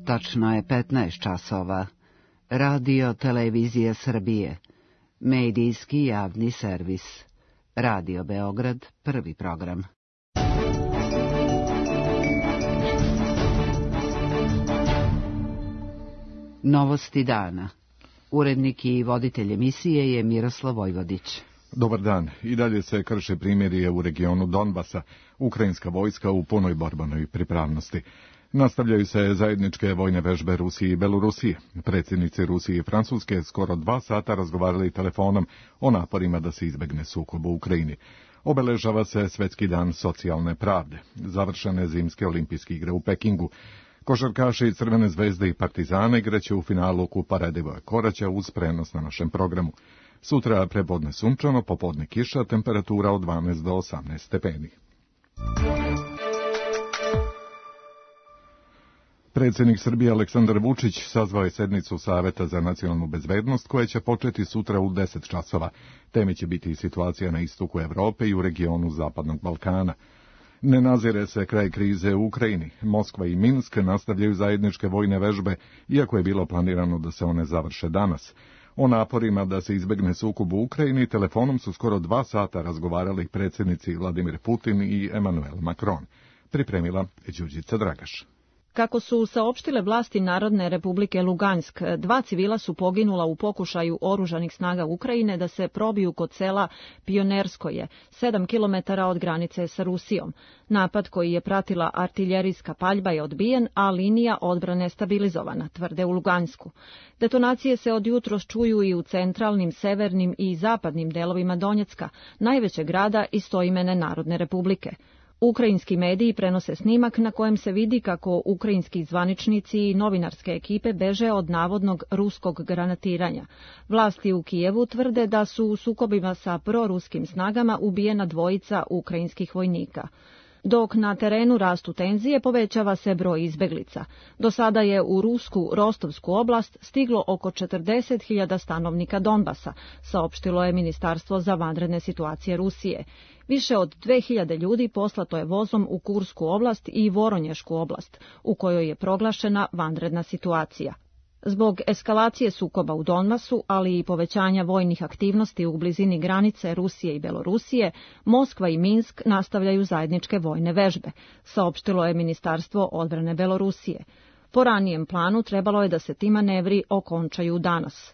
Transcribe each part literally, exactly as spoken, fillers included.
Tačno je petnaest časova. Radio Televizija Srbije. Medijski javni servis. Radio Beograd, prvi program. Novosti dana. Urednik i voditelj emisije je Miroslav Vojvodić. Dobar dan. I dalje se krše primirje u regionu Donbasa. Ukrajinska vojska u punoj borbenoj pripravnosti. Nastavljaju se zajedničke vojne vežbe Rusije i Belorusije. Predsjednici Rusije i Francuske skoro dva sata razgovarali telefonom o naporima da se izbegne sukob u Ukrajini. Obeležava se Svjetski dan socijalne pravde. Završene zimske olimpijske igre u Pekingu. Košarkaši Crvene zvezde i Partizana igraće u finalu Kupa Radivoja Koraća uz prenos na našem programu. Sutra prepodne sunčano, popodne kiša, temperatura od dvanaest do osamnaest stepeni. Predsjednik Srbije Aleksandar Vučić sazvao je sednicu Saveta za nacionalnu bezbednost koja će početi sutra u deset časova. Teme će biti situacija na istoku Evrope i u regionu Zapadnog Balkana. Ne nazire se kraj krize u Ukrajini. Moskva i Minsk nastavljaju zajedničke vojne vežbe, iako je bilo planirano da se one završe danas. O naporima da se izbegne sukob u Ukrajini telefonom su skoro dva sata razgovarali predsjednici Vladimir Putin i Emmanuel Macron. Pripremila Đurđica Dragaš. Kako su saopštile vlasti Narodne republike Lugansk, dva civila su poginula u pokušaju oružanih snaga Ukrajine da se probiju kod sela Pionerskoje, sedam kilometara od granice sa Rusijom. Napad koji je pratila artiljerijska paljba je odbijen, a linija odbrane stabilizovana, tvrde u Lugansku. Detonacije se od jutros čuju i u centralnim, severnim i zapadnim delovima Donjecka, najvećeg grada istoimene Narodne republike. Ukrajinski mediji prenose snimak na kojem se vidi kako ukrajinski zvaničnici i novinarske ekipe beže od navodnog ruskog granatiranja. Vlasti u Kijevu tvrde da su u sukobima sa proruskim snagama ubijena dvojica ukrajinskih vojnika. Dok na terenu rastu tenzije, povećava se broj izbeglica. Do sada je u rusku Rostovsku oblast stiglo oko četrdeset hiljada stanovnika Donbasa, saopštilo je Ministarstvo za vanredne situacije Rusije. Više od dve hiljade ljudi poslato je vozom u Kursku oblast i Voronješku oblast, u kojoj je proglašena vanredna situacija. Zbog eskalacije sukoba u Donbasu, ali i povećanja vojnih aktivnosti u blizini granice Rusije i Belorusije, Moskva i Minsk nastavljaju zajedničke vojne vežbe, saopštilo je Ministarstvo odbrane Belorusije. Po ranijem planu trebalo je da se ti manevri okončaju danas.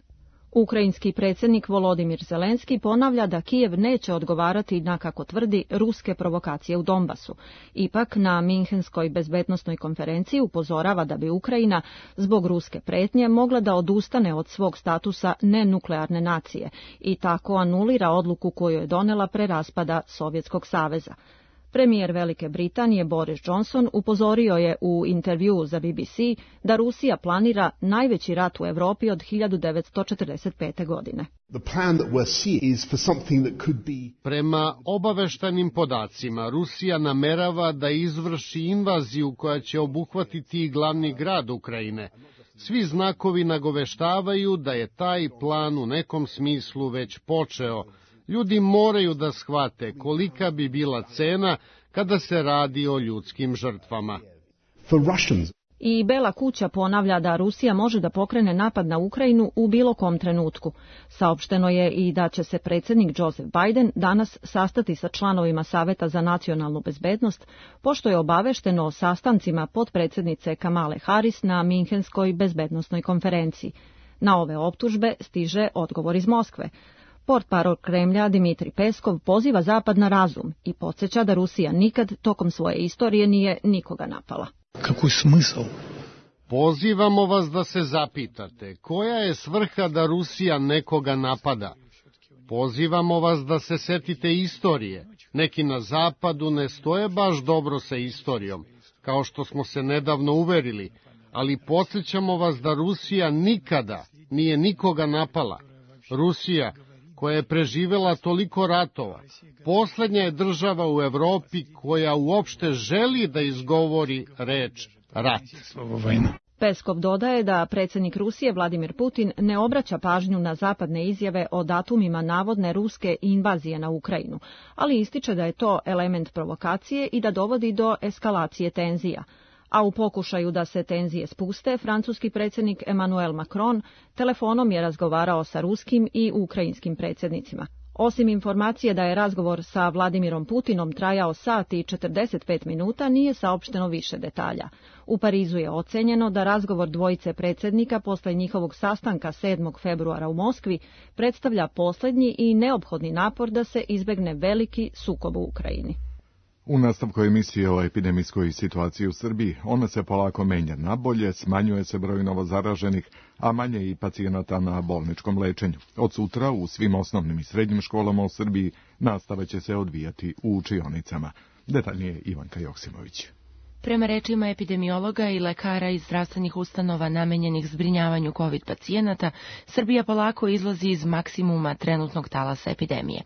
Ukrajinski predsjednik Volodimir Zelenski ponavlja da Kijev neće odgovarati na, kako tvrdi, ruske provokacije u Donbasu. Ipak na Minhenskoj bezbednosnoj konferenciji upozorava da bi Ukrajina zbog ruske pretnje mogla da odustane od svog statusa nenuklearne nacije i tako anulira odluku koju je donela pre raspada Sovjetskog saveza. Premijer Velike Britanije Boris Johnson upozorio je u intervjuu za B B C da Rusija planira najveći rat u Evropi od hiljadu devetsto četrdeset pete. godine. Prema obaveštajnim podacima, Rusija namerava da izvrši invaziju koja će obuhvatiti glavni grad Ukrajine. Svi znakovi nagoveštavaju da je taj plan u nekom smislu već počeo. Ljudi moraju da shvate kolika bi bila cena kada se radi o ljudskim žrtvama. I Bela kuća ponavlja da Rusija može da pokrene napad na Ukrajinu u bilo kom trenutku. Saopšteno je i da će se predsjednik Joseph Biden danas sastati sa članovima Saveta za nacionalnu bezbednost, pošto je obavešteno o sastancima potpredsjednice Kamale Harris na Minhenskoj bezbednosnoj konferenciji. Na ove optužbe stiže odgovor iz Moskve. Portparol Kremlja Dimitrij Peskov poziva Zapad na razum i podsjeća da Rusija nikad tokom svoje istorije nije nikoga napala. Kakvi smisl? Pozivamo vas da se zapitate koja je svrha da Rusija nekoga napada. Pozivamo vas da se setite istorije. Neki na Zapadu ne stoje baš dobro sa istorijom, kao što smo se nedavno uverili, ali podsjećamo vas da Rusija nikada nije nikoga napala. Rusija, koja je preživela toliko ratova, poslednja je država u Evropi koja uopšte želi da izgovori reč rat. Peskov dodaje da predsjednik Rusije Vladimir Putin ne obraća pažnju na zapadne izjave o datumima navodne ruske invazije na Ukrajinu, ali ističe da je to element provokacije i da dovodi do eskalacije tenzija. A u pokušaju da se tenzije spuste, francuski predsjednik Emmanuel Macron telefonom je razgovarao sa ruskim i ukrajinskim predsjednicima. Osim informacije da je razgovor sa Vladimirom Putinom trajao sat i četrdeset pet minuta, nije saopšteno više detalja. U Parizu je ocenjeno da razgovor dvojice predsjednika posle njihovog sastanka sedmog februara u Moskvi predstavlja posljednji i neophodni napor da se izbegne veliki sukob u Ukrajini. U nastavku emisije o epidemijskoj situaciji u Srbiji, ona se polako menja na bolje, smanjuje se broj novozaraženih, a manje i pacijenata na bolničkom lečenju. Od sutra u svim osnovnim i srednjim školama u Srbiji nastava će se odvijati u učionicama. Detaljnije Ivanka Joksimović. Prema rečima epidemiologa i lekara iz zdravstvenih ustanova namenjenih zbrinjavanju COVID pacijenata, Srbija polako izlazi iz maksimuma trenutnog talasa epidemije.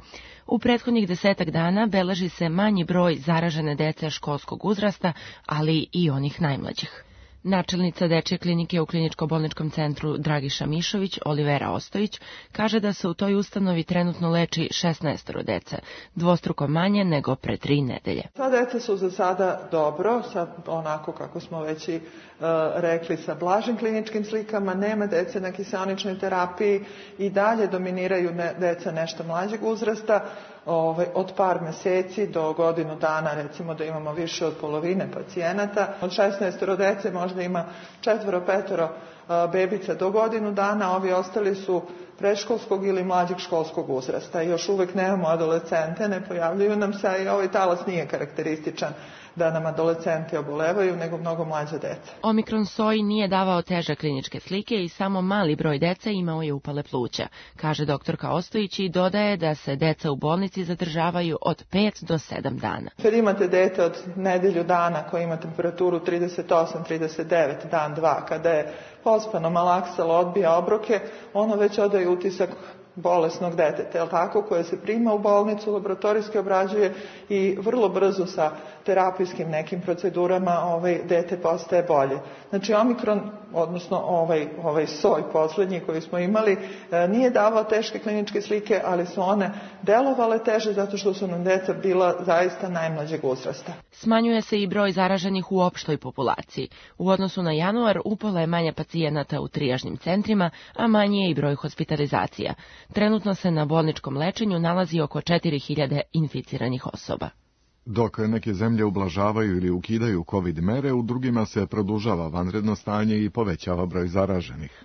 U prethodnih desetak dana beleži se manji broj zaražene dece školskog uzrasta, ali i onih najmlađih. Načelnica dečje klinike u kliničko-bolničkom centru Dragiša Mišović, Olivera Ostojić, kaže da se u toj ustanovi trenutno leči šesnaest dece, dvostruko manje nego pre tri nedelje. Sva deca su za sada dobro, sa onako kako smo već i uh, rekli, sa blažim kliničkim slikama, nema dece na kiseoničnoj terapiji i dalje dominiraju ne, deca nešto mlađeg uzrasta. Ove, od par meseci do godinu dana, recimo da imamo više od polovine pacijenata. Od šesnaest dece možda ima četvoro, petoro bebica do godinu dana, ovi ostali su predškolskog ili mlađeg školskog uzrasta. I još uvek nemamo adolescente, ne pojavljuju nam se i ovaj talas nije karakterističan da nam adolescenti obolevaju, nego mnogo mlađa deca. Omikron soj nije davao teže kliničke slike i samo mali broj dece imao je upale pluća, kaže doktorka Ostojić i dodaje da se deca u bolnici zadržavaju od pet do sedam dana. Kad imate dete od nedelju dana koji ima temperaturu trideset osam trideset devet dan dva, kada je pospano, malaksalo, odbija obroke, ono već odaje utisak bolesnog deteta, jel tako, koje se prima u bolnicu, laboratorijski obrađuje i vrlo brzo sa terapijskim nekim procedurama ovaj dete postaje bolje. Znači omikron, odnosno ovaj ovaj soj poslednji koji smo imali, nije davao teške kliničke slike, ali su one delovale teže zato što su nam deca bila zaista najmlađeg uzrasta. Smanjuje se i broj zaraženih u opštoj populaciji. U odnosu na januar upola je manje pacijenata u trijažnim centrima, a manji je i broj hospitalizacija. Trenutno se na bolničkom lečenju nalazi oko četiri hiljade inficiranih osoba. Dok neke zemlje ublažavaju ili ukidaju COVID mere, u drugima se produžava vanredno stanje i povećava broj zaraženih.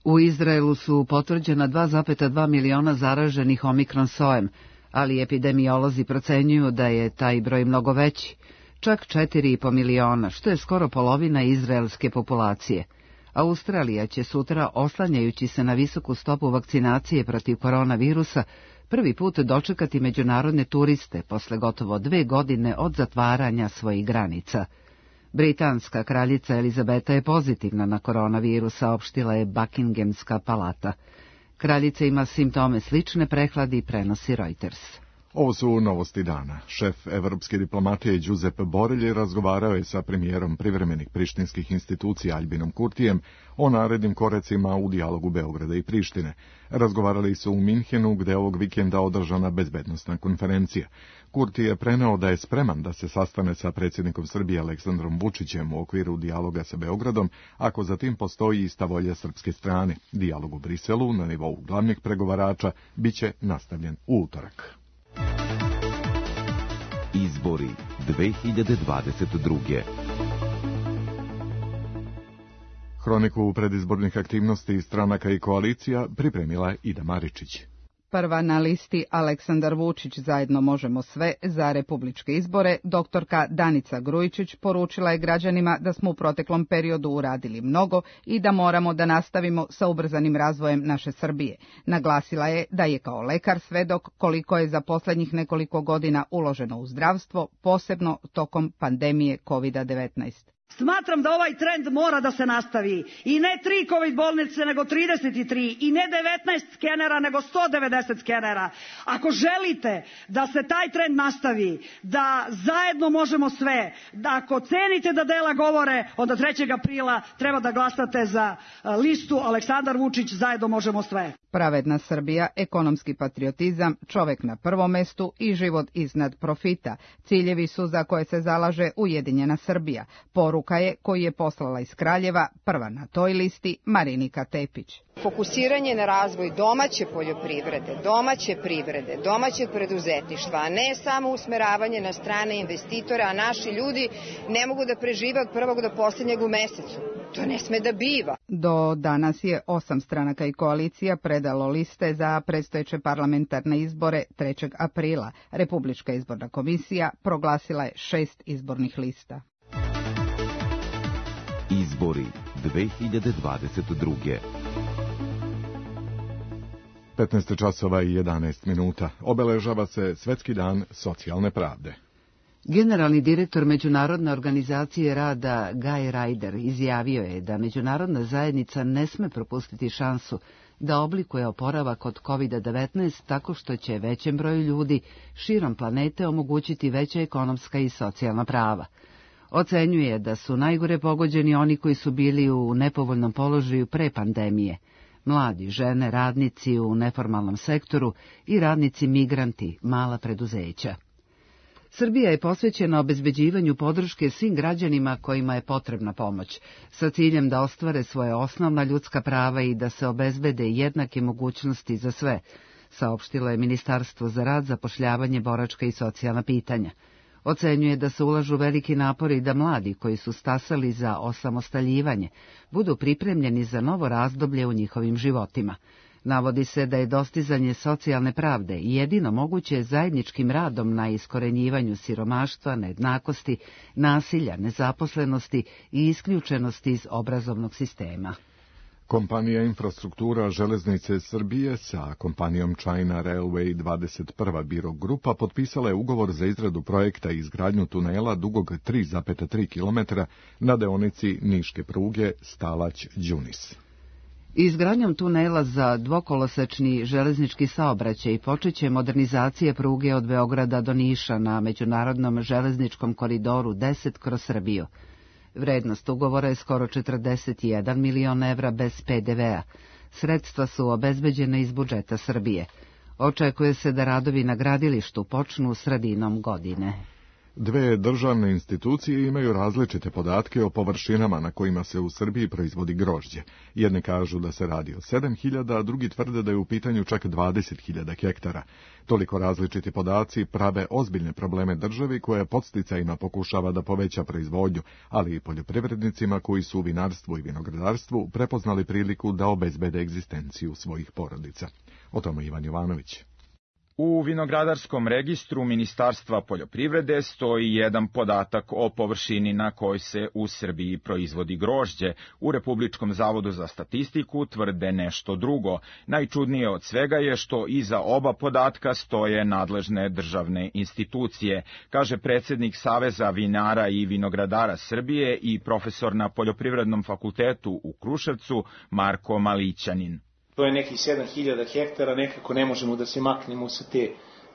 U Izraelu su potvrđena dva zarez dva miliona zaraženih omikron sojem, ali epidemiolozi procenjuju da je taj broj mnogo veći, čak četiri zarez pet miliona, što je skoro polovina izraelske populacije. Australija će sutra, oslanjajući se na visoku stopu vakcinacije protiv koronavirusa, prvi put dočekati međunarodne turiste posle gotovo dve godine od zatvaranja svojih granica. Britanska kraljica Elizabeta je pozitivna na koronavirus, saopštila je Buckinghamska palata. Kraljica ima simptome slične prehladi, prenosi Reuters. Ovo su novosti dana. Šef evropske diplomatije Giuseppe Borelli razgovarao je sa premijerom privremenih prištinskih institucija Albinom Kurtijem o narednim koracima u dijalogu Beograda i Prištine. Razgovarali su u Minhenu, gde je ovog vikenda održana bezbednosna konferencija. Kurti je preneo da je spreman da se sastane sa predsjednikom Srbije Aleksandrom Vučićem u okviru dijaloga sa Beogradom, ako za tim postoji ista volja srpske strane. Dijalog u Briselu na nivou glavnih pregovarača biće nastavljen u utorak. Izbori dve hiljade dvadeset druge. Hroniku predizbornih aktivnosti stranaka i koalicija pripremila Ida Maričić. Prva na listi Aleksandar Vučić, zajedno možemo sve, za republičke izbore, doktorka Danica Grujičić poručila je građanima da smo u proteklom periodu uradili mnogo i da moramo da nastavimo sa ubrzanim razvojem naše Srbije. Naglasila je da je kao lekar svedok koliko je za poslednjih nekoliko godina uloženo u zdravstvo, posebno tokom pandemije kovid devetnaest. Smatram da ovaj trend mora da se nastavi. I ne tri COVID bolnice, nego trideset tri. I ne devetnaest skenera, nego sto devedeset skenera. Ako želite da se taj trend nastavi, da zajedno možemo sve, da ako cenite da dela govore, onda trećeg aprila treba da glasate za listu Aleksandar Vučić, zajedno možemo sve. Pravedna Srbija, ekonomski patriotizam, čovek na prvom mestu i život iznad profita. Ciljevi su za koje se zalaže Ujedinjena Srbija. Poruka Poruka je koju je poslala iz Kraljeva, prva na toj listi Marinika Tepić. Fokusiranje na razvoj domaće poljoprivrede, domaće privrede, domaćeg preduzetništva, a ne samo usmeravanje na strane investitora, a naši ljudi ne mogu da prežive od prvog do posljednjeg u mesecu. To ne sme da biva. Do danas je osam stranaka i koalicija predalo liste za predstojeće parlamentarne izbore trećeg aprila. Republička izborna komisija proglasila je šest izbornih lista. Izbori dve hiljade dvadeset druge. petnaest časova i jedanaest minuta. Obeležava se Svetski dan socijalne pravde. Generalni direktor Međunarodne organizacije rada Guy Ryder izjavio je da međunarodna zajednica ne sme propustiti šansu da oblikuje oporavak od kovid devetnaest tako što će većem broju ljudi širom planete omogućiti veća ekonomska i socijalna prava. Ocenjuje da su najgore pogođeni oni koji su bili u nepovoljnom položaju pre pandemije. Mladi, žene, radnici u neformalnom sektoru i radnici migranti, mala preduzeća. Srbija je posvećena obezbeđivanju podrške svim građanima kojima je potrebna pomoć, sa ciljem da ostvare svoje osnovna ljudska prava i da se obezbede jednake mogućnosti za sve, saopštilo je Ministarstvo za rad, zapošljavanje, boračka i socijalna pitanja. Ocenjuje da se ulažu veliki napori da mladi koji su stasali za osamostaljivanje budu pripremljeni za novo razdoblje u njihovim životima. Navodi se da je dostizanje socijalne pravde jedino moguće zajedničkim radom na iskorenjivanju siromaštva, nejednakosti, nasilja, nezaposlenosti i isključenosti iz obrazovnog sistema. Kompanija Infrastruktura železnice Srbije sa kompanijom China Railway dvadeset prva Biro Grupa potpisala je ugovor za izradu projekta i izgradnju tunela dugog tri zarez tri kilometra na deonici niške pruge Stalać-Đunis. Izgradnjom tunela za dvokolosečni železnički saobraćaj počeće modernizacija pruge od Beograda do Niša na međunarodnom železničkom koridoru deset kroz Srbiju. Vrednost ugovora je skoro četrdeset jedan milion evra bez pe de ve a. Sredstva su obezbeđena iz budžeta Srbije. Očekuje se da radovi na gradilištu počnu sredinom godine. Dve državne institucije imaju različite podatke o površinama na kojima se u Srbiji proizvodi grožđe. Jedni kažu da se radi o sedam hiljada, a drugi tvrde da je u pitanju čak dvadeset hiljada hektara. Toliko različiti podaci prave ozbiljne probleme državi koja podsticajima pokušava da poveća proizvodnju, ali i poljoprivrednicima koji su u vinarstvu i vinogradarstvu prepoznali priliku da obezbede egzistenciju svojih porodica. O tome Ivan Jovanović. U vinogradarskom registru Ministarstva poljoprivrede stoji jedan podatak o površini na kojoj se u Srbiji proizvodi grožđe. U Republičkom zavodu za statistiku tvrde nešto drugo. Najčudnije od svega je što iza oba podatka stoje nadležne državne institucije, kaže predsjednik Saveza vinara i vinogradara Srbije i profesor na Poljoprivrednom fakultetu u Kruševcu Marko Malićanin. To je nekih sedam hiljada hektara, nekako ne možemo da se maknemo sa te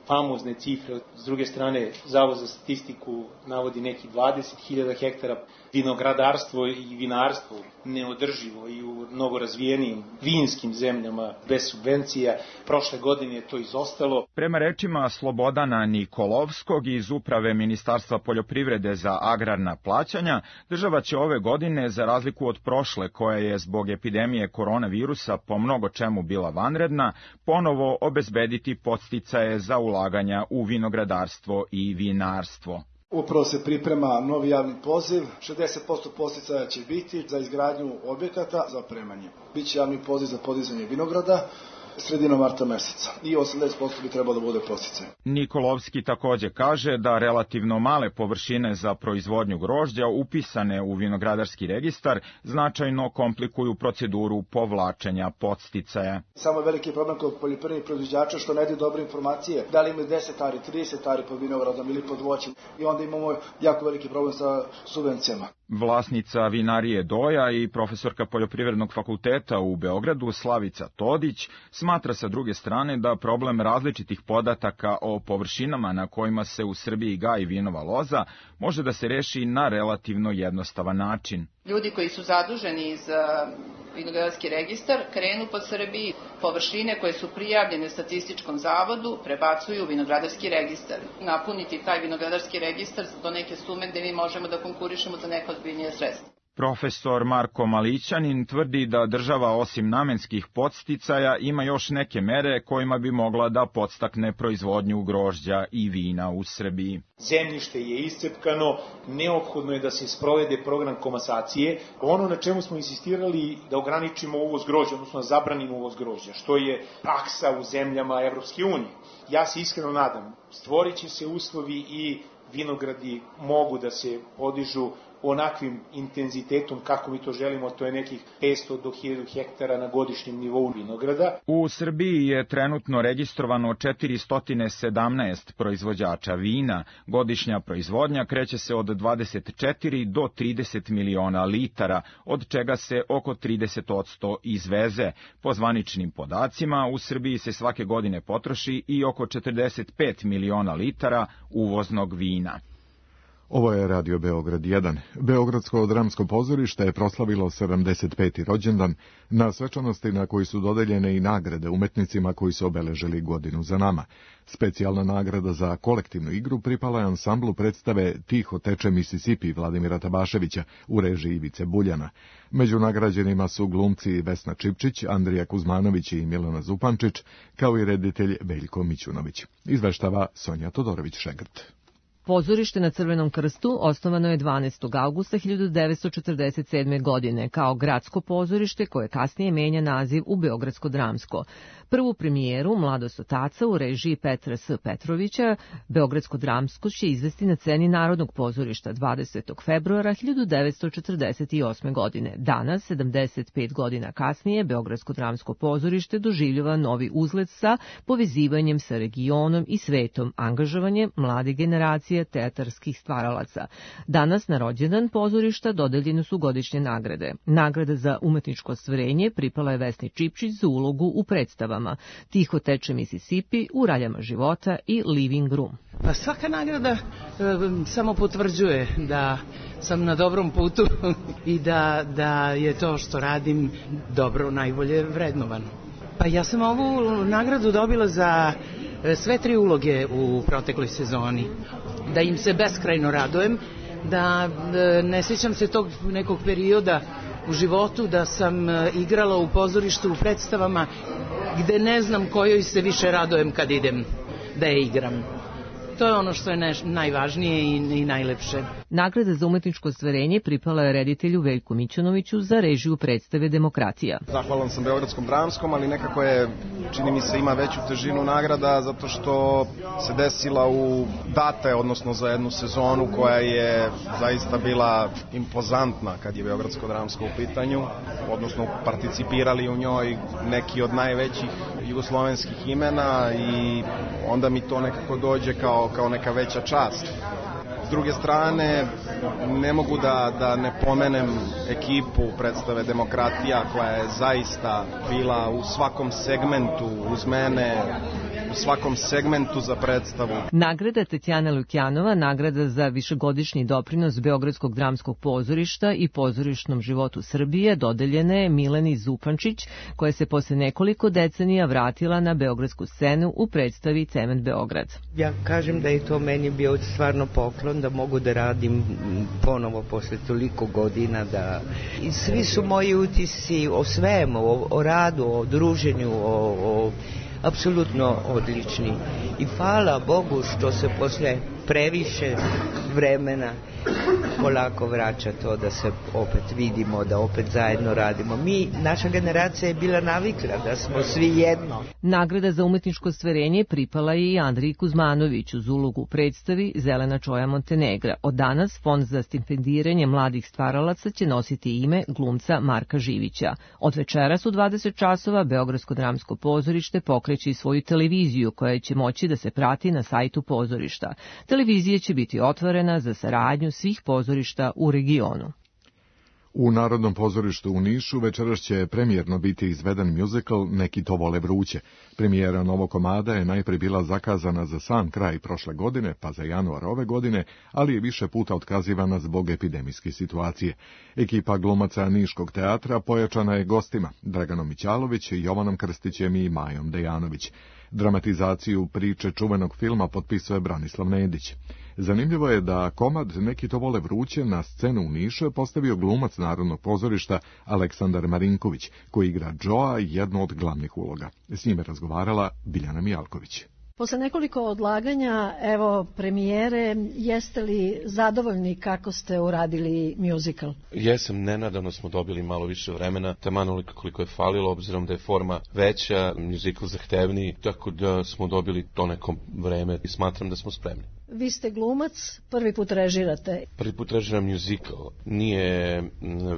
famozne cifre. S druge strane, Zavod za statistiku navodi nekih dvadeset hiljada hektara. Vinogradarstvo i vinarstvo neodrživo i u mnogo razvijenijim vinskim zemljama bez subvencija. Prošle godine je to izostalo. Prema rečima Slobodana Nikolovskog iz Uprave Ministarstva poljoprivrede za agrarna plaćanja, država će ove godine, za razliku od prošle koja je zbog epidemije koronavirusa po mnogo čemu bila vanredna, ponovo obezbediti podsticaje za ulaganja u vinogradarstvo i vinarstvo. Upravo se priprema novi javni poziv, šezdeset posto podsticaja će biti za izgradnju objekata za opremanje. Biće javni poziv za podizanje vinograda sredinom marta meseca i osamdeset posto bi trebalo da bude podsticaj. Nikolovski takođe kaže da relativno male površine za proizvodnju grožđa upisane u vinogradarski registar značajno komplikuju proceduru povlačenja podsticaja. Samo je veliki problem kod poljoprivrednih proizvođača što ne daju dobre informacije, da li imaju deset ari, trideset ari pod vinogradom ili pod voćem i onda imamo jako veliki problem sa subvencijama. Vlasnica vinarije Doja i profesorka Poljoprivrednog fakulteta u Beogradu Slavica Todić smatra sa druge strane da problem različitih podataka o površinama na kojima se u Srbiji gaji vinova loza može da se reši na relativno jednostavan način. Ljudi koji su zaduženi za vinogradarski registar krenu po Srbiji, površine koje su prijavljene statističkom zavodu prebacuju u vinogradarski registar. Napuniti taj vinogradarski registar do neke sume gde mi možemo da konkurišemo za neka ozbiljnija sredstva. Profesor Marko Malićanin tvrdi da država osim namenskih podsticaja ima još neke mere kojima bi mogla da podstakne proizvodnju grožđa i vina u Srbiji. Zemljište je iscepkano, neophodno je da se sprovede program komasacije. Ono na čemu smo insistirali da ograničimo uvoz grožđa, odnosno da zabranimo uvoz grožđa, što je praksa u zemljama Evropske unije. Ja se iskreno nadam, stvorit će se uslovi i vinogradi mogu da se podižu onakvim intenzitetom kako mi to želimo, to je nekih petsto do hiljadu hektara na godišnjem nivou vinograda. U Srbiji je trenutno registrovano četiristo sedamnaest proizvođača vina. Godišnja proizvodnja kreće se od dvadeset četiri do trideset miliona litara, od čega se oko trideset posto izveze. Po zvaničnim podacima, u Srbiji se svake godine potroši i oko četrdeset pet miliona litara uvoznog vina. Ovo je Radio Beograd jedan. Beogradsko dramsko pozorište je proslavilo sedamdeset peti rođendan na svečanosti na koji su dodeljene i nagrade umetnicima koji su obeležili godinu za nama. Specijalna nagrada za kolektivnu igru pripala je ansamblu predstave Tiho teče Mississippi Vladimira Tabaševića u režiji Ivice Buljana. Među nagrađenima su glumci Vesna Čipčić, Andrija Kuzmanović i Milana Zupančić, kao i reditelj Veljko Mićunović. Izveštava Sonja Todorović-Šegrt. Pozorište na Crvenom krstu osnovano je dvanaestog avgusta hiljadu devetsto četrdeset sedme. godine kao gradsko pozorište koje kasnije menja naziv u Beogradsko dramsko. Prvu premijeru Mladost otaca u režiji Petra S. Petrovića Beogradsko dramsko će izvesti na sceni Narodnog pozorišta dvadesetog februara hiljadu devetsto četrdeset osme. godine. Danas, sedamdeset pet godina kasnije, Beogradsko dramsko pozorište doživljava novi uzlet sa povezivanjem sa regionom i svetom, angažovanjem mlade generacije teatarskih stvaralaca. Danas na rođendan pozorišta dodeljene su godišnje nagrade. Nagrada za umetničko ostvarenje pripala je Vesni Čipčić za ulogu u predstavama Tiho teče Mississippi, U raljama života i Living Room. Pa svaka nagrada e, samo potvrđuje da sam na dobrom putu i da, da je to što radim dobro, najbolje vrednovano. Pa ja sam ovu nagradu dobila za sve tri uloge u protekloj sezoni. Da im se beskrajno radujem, da ne sjećam se tog nekog perioda u životu da sam igrala u pozorištu u predstavama gde ne znam kojoj se više radujem kad idem da je igram. To je ono što je neš, najvažnije i, i najlepše. Nagrada za umetničko ostvarenje pripala je reditelju Veljku Mićunoviću za režiju predstave Demokratija. Zahvalan sam Beogradskom dramskom, ali nekako je, čini mi se, ima veću težinu nagrada zato što se desila u date, odnosno za jednu sezonu koja je zaista bila impozantna kad je Beogradsko dramsko u pitanju, odnosno participirali u njoj neki od najvećih jugoslovenskih imena i onda mi to nekako dođe kao kao neka veća čast. S druge strane, ne mogu da, da ne pomenem ekipu predstave Demokratija koja je zaista bila u svakom segmentu uz mene, u svakom segmentu za predstavu. Nagrada Tetjana Lukjanova, nagrada za višegodišnji doprinos Beogradskog dramskog pozorišta i pozorišnom životu Srbije, dodeljena je Mileni Zupančić, koja se posle nekoliko decenija vratila na beogradsku scenu u predstavi Cement Beograd. Ja kažem da je to meni bio stvarno poklon, da mogu da radim ponovo posle toliko godina. Da... I svi su moji utisci o svemu, o, o radu, o druženju, o... o... apsolutno odlični. I hvala Bogu što se posle previše vremena polako vraća to da se opet vidimo, da opet zajedno radimo. Mi, naša generacija je bila navikla da smo svi jedno. Nagrada za umetničko ostvarenje pripala je i Andriji Kuzmanoviću uz ulogu u predstavi Zelena čoja Montenegra. Od danas Fond za stipendiranje mladih stvaralaca će nositi ime glumca Marka Živića. Od večeras u dvadeset časova Beogradsko dramsko pozorište pokreće i svoju televiziju koja će moći da se prati na sajtu pozorišta. Televizija će biti otvorena za saradnju svih pozorišta u regionu. U Narodnom pozorištu u Nišu večeras će premijerno biti izveden muzikal Neki to vole vruće. Premijera novog komada je najprije bila zakazana za sam kraj prošle godine, pa za januar ove godine, ali je više puta otkazivana zbog epidemijske situacije. Ekipa glumaca Niškog teatra pojačana je gostima Draganom Mićalović, Jovanom Krstićem i Majom Dejanović. Dramatizaciju priče čuvenog filma potpisuje Branislav Nedić. Zanimljivo je da komad Neki to vole vruće na scenu u Nišu je postavio glumac Narodnog pozorišta Aleksandar Marinković, koji igra Džoa, jednu od glavnih uloga. S njime razgovarala Biljana Mijalković. Posle nekoliko odlaganja, evo, premijere, jeste li zadovoljni kako ste uradili muzikal? Jesam, nenadavno smo dobili malo više vremena, taman onoliko koliko je falilo, obzirom da je forma veća, muzikal zahtevniji, tako da smo dobili to neko vreme i smatram da smo spremni. Vi ste glumac, prvi put režirate. Prvi put režiram muzikal. Nije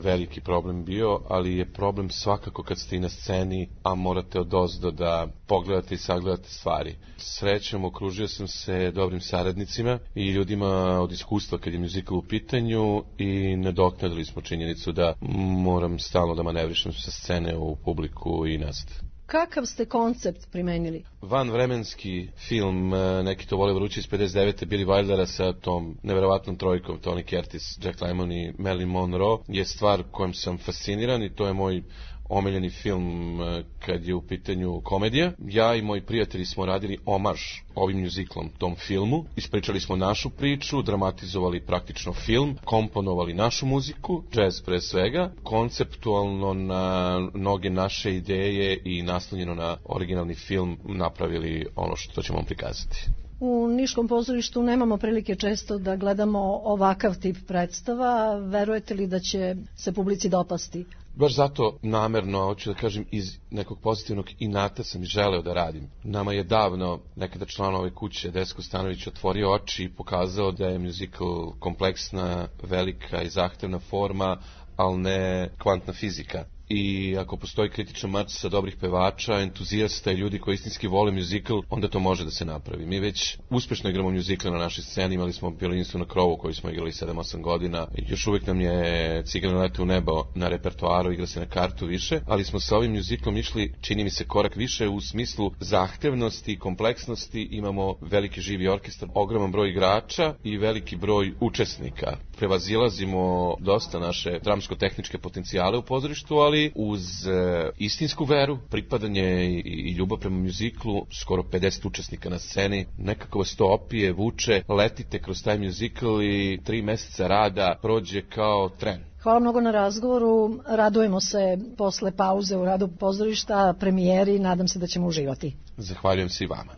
veliki problem bio, ali je problem svakako kad ste i na sceni, a morate odozdo da pogledate i sagledate stvari. Srećom, okružio sam se dobrim saradnicima i ljudima od iskustva kad je muzikal u pitanju i nadoknadili smo činjenicu da moram stalno da manevrišem sa scene u publiku i nazad. Kakav ste koncept primenili? Vanvremenski film Neki to vole vruće iz pedeset devete Billy Wildera sa tom neverovatnom trojkom Tony Curtis, Jack Lemmon i Marilyn Monroe je stvar kojom sam fasciniran i to je moj omiljeni film kad je u pitanju komedija. Ja i moji prijatelji smo radili omaž ovim muziklom tom filmu. Ispričali smo našu priču, dramatizovali praktično film, komponovali našu muziku, džez pre svega, konceptualno na mnoge naše ideje i naslonjeno na originalni film napravili ono što ćemo vam prikazati. U Niškom pozorištu nemamo prilike često da gledamo ovakav tip predstava. Verujete li da će se publici dopasti? Baš zato namerno, hoću da kažem, iz nekog pozitivnog inata sam i želeo da radim. Nama je davno nekada član ove kuće, Desko Stanović, otvorio oči i pokazao da je muzikal kompleksna, velika i zahtevna forma, ali ne kvantna fizika. I ako postoji kritična matrica dobrih pevača, entuzijasta i ljudi koji istinski vole muzikal, onda to može da se napravi. Mi već uspešno igramo muzikal na našoj sceni, imali smo Violinistvu na krovu koji smo igrali sedam osam godina. Još uvijek nam je Cigane lete u nebo na repertoaru, igra se na kartu više, ali smo sa ovim muzikalom išli, čini mi se, korak više u smislu zahtevnosti i kompleksnosti. Imamo veliki živi orkestar, ogroman broj igrača i veliki broj učesnika. Prevazilazimo dosta naše dramsko-tehničke potencijale u pozorištu, ali uz e, istinsku veru, pripadanje i, i ljubav prema muziklu, skoro pedeset učesnika na sceni, nekako vas to opije, vuče, letite kroz taj muzikl i tri meseca rada prođe kao tren. Hvala mnogo na razgovoru, radujemo se posle pauze u radu pozorišta, premijeri, nadam se da ćemo uživati. Zahvaljujem se i vama.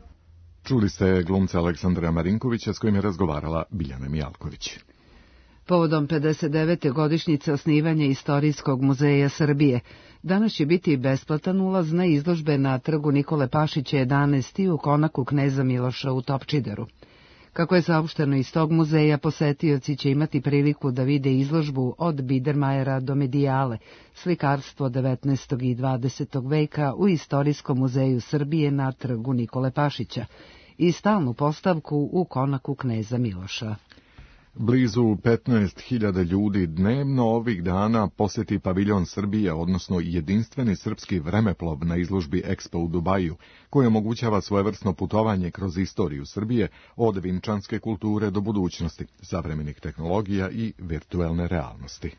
Čuli ste glumca Aleksandra Marinkovića s kojim je razgovarala Biljana Mijalković. Povodom pedeset devete godišnjice osnivanja Istorijskog muzeja Srbije, danas će biti besplatan ulaz na izložbe na trgu Nikole Pašića jedanaest u konaku Kneza Miloša u Topčideru. Kako je saopšteno iz tog muzeja, posetioci će imati priliku da vide izložbu od Biedermajera do Medijale, slikarstvo devetnaestog i dvadesetog veka u Istorijskom muzeju Srbije na trgu Nikole Pašića i stalnu postavku u konaku Kneza Miloša. Blizu petnaest hiljada ljudi dnevno ovih dana posjeti paviljon Srbije, odnosno jedinstveni srpski vremeplov na izložbi Expo u Dubaju, koji omogućava svojevrsno putovanje kroz istoriju Srbije od vinčanske kulture do budućnosti, savremenih tehnologija i virtuelne realnosti.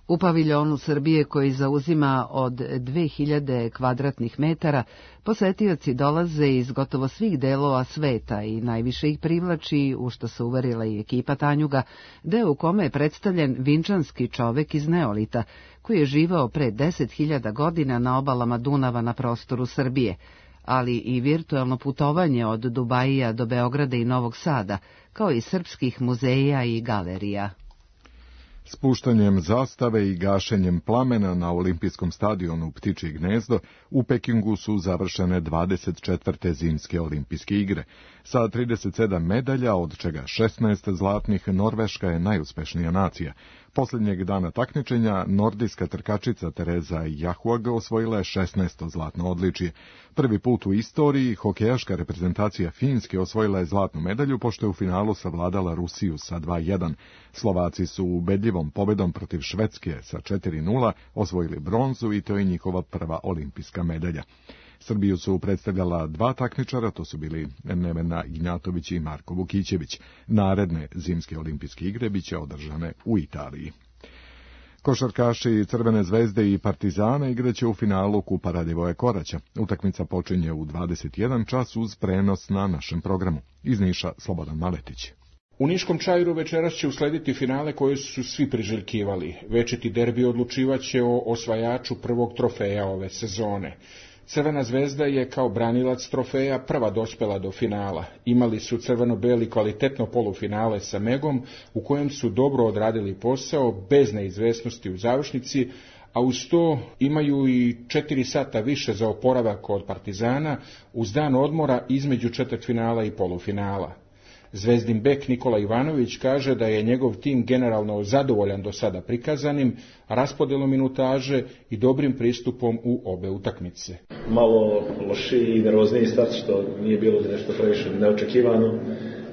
U paviljonu Srbije, koji zauzima od dve hiljade kvadratnih metara, posetioci dolaze iz gotovo svih delova sveta i najviše ih privlači, u što se uverila i ekipa Tanjuga, deo u kome je predstavljen vinčanski čovek iz Neolita, koji je živao pre deset hiljada godina na obalama Dunava na prostoru Srbije, ali i virtuelno putovanje od Dubajija do Beograda i Novog Sada, kao i srpskih muzeja i galerija. Spuštanjem zastave i gašenjem plamena na olimpijskom stadionu Ptičje gnezdo u Pekingu su završene dvadeset četvrte zimske olimpijske igre. Sa trideset sedam medalja, od čega šesnaest zlatnih, Norveška je najuspešnija nacija. Posljednjeg dana takmičenja nordijska trkačica Tereza Jahuag osvojila je šesnaesto zlatno odličje. Prvi put u istoriji hokejaška reprezentacija Finske osvojila je zlatnu medalju pošto je u finalu savladala Rusiju sa dva jedan. Slovaci su ubedljivom pobedom protiv Švedske sa četiri nula osvojili bronzu i to je njihova prva olimpijska medalja. Srbiju su predstavljala dva takmičara, to su bili Nevena Ignjatović i Marko Vukićević. Naredne zimske olimpijske igre biće održane u Italiji. Košarkaši Crvene zvezde i Partizana igraće u finalu Kupa Radivoja Koraća. Utakmica počinje u dvadeset jedan čas uz prenos na našem programu. Iz Niša Slobodan Maletić. U Niškom Čairu večeras će uslediti finale koje su svi priželjkivali. Večiti derbi odlučivaće o osvajaču prvog trofeja ove sezone. Crvena zvezda je kao branilac trofeja prva dospela do finala. Imali su crveno-beli kvalitetno polufinale sa Megom, u kojem su dobro odradili posao, bez neizvesnosti u završnici, a uz to imaju i četiri sata više za oporavak od Partizana, uz dan odmora između četvrtfinala i polufinala. Zvezdin bek Nikola Ivanović kaže da je njegov tim generalno zadovoljan do sada prikazanim, raspodelom minutaže i dobrim pristupom u obe utakmice. Malo lošiji i nervozniji start, što nije bilo nešto previše neočekivano.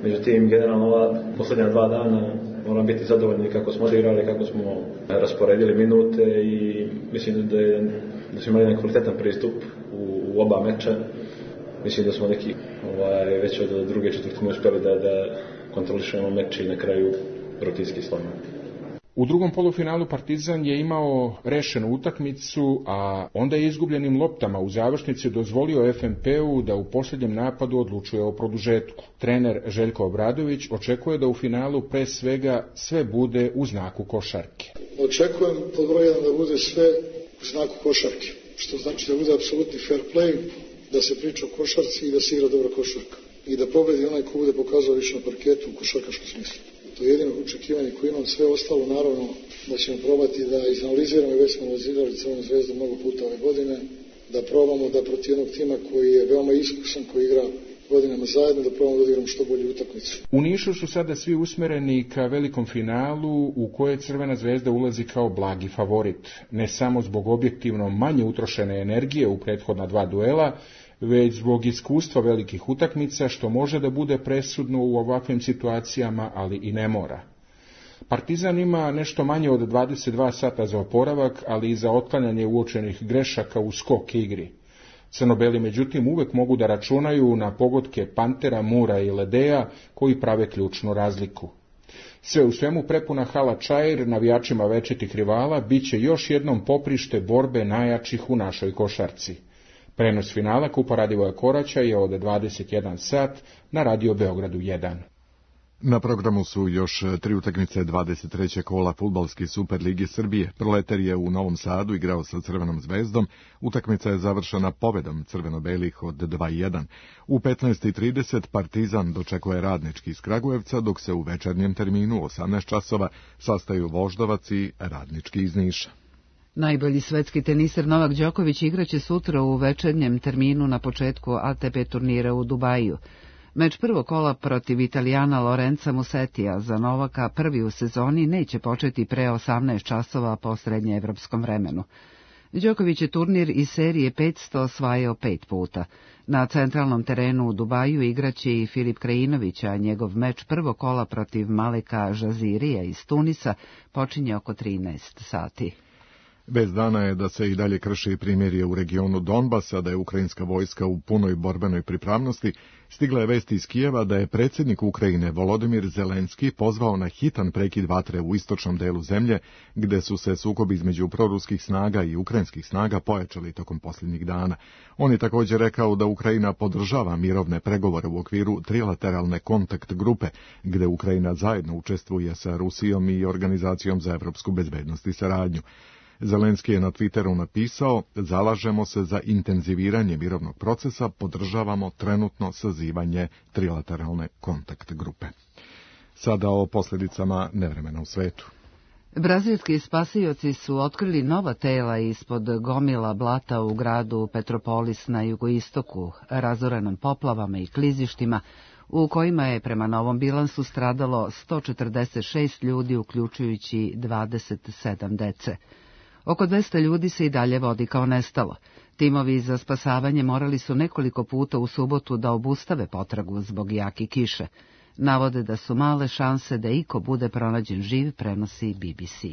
Međutim, generalno ova posljednja dva dana moram biti zadovoljni kako smo odigrali, kako smo rasporedili minute i mislim da, je, da smo imali kvalitetan pristup u, u oba meča. Mislim da smo neki ovaj, već od druge četvrtine uspjeli da, da kontrolišemo meč i na kraju rutinski slomimo. U drugom polufinalu Partizan je imao rešenu utakmicu, a onda je izgubljenim loptama u završnici dozvolio F M P-u da u posljednjem napadu odlučuje o produžetku. Trener Željko Obradović očekuje da u finalu pre svega sve bude u znaku košarke. Očekujem pod broj jedan da bude sve u znaku košarke, što znači da bude apsolutni fair play, da se priča o košarci i da se igra dobra košarka. I da pobedi onaj ko bude pokazao više na parketu u košarkaškom smislu. To je jedino očekivanje koje imam. Sve ostalo, naravno, da ćemo probati da izanaliziramo, i već smo analizirali Crvenu zvezdu mnogo puta ove godine, da probamo da protiv jednog tima koji je veoma iskusan, koji igra godinama zajedno, da probamo da odigramo što bolju utakmicu. U Nišu su sada svi usmereni ka velikom finalu u koje Crvena zvezda ulazi kao blagi favorit. Ne samo zbog objektivno manje utrošene energije u prethodna dva duela, već zbog iskustva velikih utakmica, što može da bude presudno u ovakvim situacijama, ali i ne mora. Partizan ima nešto manje od dvadeset dva sata za oporavak, ali i za otklanjanje uočenih grešaka u skok igri. Crnobeli međutim uvek mogu da računaju na pogodke Pantera, Mura i Ledeja, koji prave ključnu razliku. Sve u svemu prepuna hala Čair navijačima večitih rivala biće još jednom poprište borbe najjačih u našoj košarci. Prenos finala Kupa Radivoja Koraća je od dvadeset jedan sat na Radio Beogradu jedan. Na programu su još tri utakmice dvadeset trećeg kola fudbalske Superlige Srbije. Proletar je u Novom Sadu igrao sa Crvenom zvezdom. Utakmica je završena pobedom crveno-belih od dva jedan. U petnaest i trideset Partizan dočekuje Radnički iz Kragujevca, dok se u večernjem terminu osamnaest časova sastaju Voždovac i Radnički iz Niša. Najbolji svetski teniser Novak Đoković igraće sutra u večernjem terminu na početku A T P turnira u Dubaju. Meč prvog kola protiv Italijana Lorenza Musetija za Novaka, prvi u sezoni, neće početi pre osamnaest časova po srednjeevropskom vremenu. Đoković je turnir iz serije petsto osvajao pet puta. Na centralnom terenu u Dubaju igraće i Filip Krajinović, a njegov meč prvog kola protiv Maleka Žazirija iz Tunisa počinje oko trinaest sati. Bez dana je da se i dalje krši primirje u regionu Donbasa, da je ukrajinska vojska u punoj borbenoj pripravnosti. Stigla je vest iz Kijeva da je predsjednik Ukrajine Volodimir Zelenski pozvao na hitan prekid vatre u istočnom delu zemlje, gde su se sukobi između proruskih snaga i ukrajinskih snaga pojačali tokom posljednjih dana. On je također rekao da Ukrajina podržava mirovne pregovore u okviru trilateralne kontakt grupe, gde Ukrajina zajedno učestvuje sa Rusijom i Organizacijom za evropsku bezbednost i saradnju. Zelenski je na Twitteru napisao: zalažemo se za intenziviranje mirovnog procesa, podržavamo trenutno sazivanje trilateralne kontakt grupe. Sada o posljedicama nevremena u svetu. Brazilski spasioci su otkrili nova tela ispod gomila blata u gradu Petropolis na jugoistoku, razorenom poplavama i klizištima, u kojima je prema novom bilansu stradalo sto četrdeset šest ljudi, uključujući dvadeset sedam dece. Oko dvesta ljudi se i dalje vodi kao nestalo. Timovi za spasavanje morali su nekoliko puta u subotu da obustave potragu zbog jake kiše. Navode da su male šanse da iko bude pronađen živ, prenosi B B C.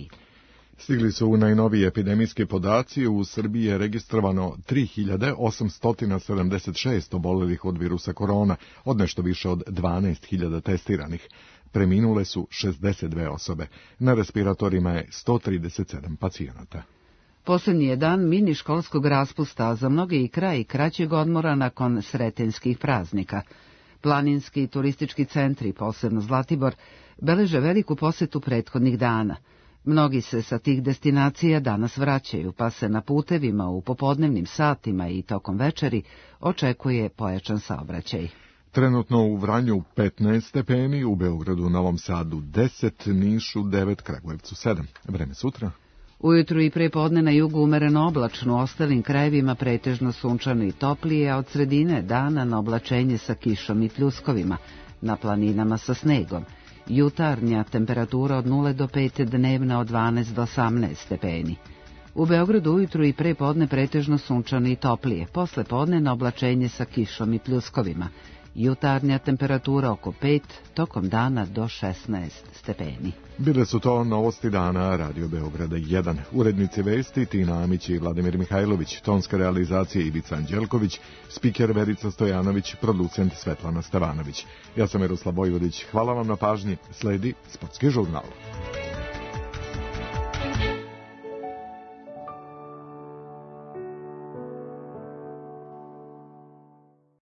Stigli su najnoviji epidemijski podaci. U Srbiji je registrovano tri hiljade osamsto sedamdeset šest obolelih od virusa korona, od nešto više od dvanaest hiljada testiranih. Preminule su šezdeset dve osobe. Na respiratorima je sto trideset sedam pacijenata. Posljednji je dan mini školskog raspusta, za mnoge i kraj kraćeg odmora nakon sretenskih praznika. Planinski i turistički centri, posebno Zlatibor, beleže veliku posetu prethodnih dana. Mnogi se sa tih destinacija danas vraćaju, pa se na putevima u popodnevnim satima i tokom večeri očekuje pojačan saobraćaj. Trenutno u Vranju petnaest stepeni, u Beogradu, Novom Sadu deset, Nišu devet, Kragujevcu sedam. Vreme sutra? Ujutru i prepodne na jugu umereno oblačno, u ostalim krajevima pretežno sunčano i toplije, a od sredine dana na oblačenje sa kišom i pljuskovima, na planinama sa snegom. Jutarnja temperatura od nula do pet, dnevna od dvanaest do osamnaest stepeni. U Beogradu ujutru i prepodne pretežno sunčano i toplije, posle podne na oblačenje sa kišom i pljuskovima. Jutarnja temperatura oko pet, tokom dana do šesnaest stepeni. Bile su to novosti dana Radio Beograda jedan. Urednici vesti Tina Amić i Vladimir Mihajlović, tonska realizacija Ivica Anđelković, spiker Verica Stojanović, producent Svetlana Stevanović. Ja sam Miroslav Vojvodić, hvala vam na pažnji, sledi Sportski žurnal.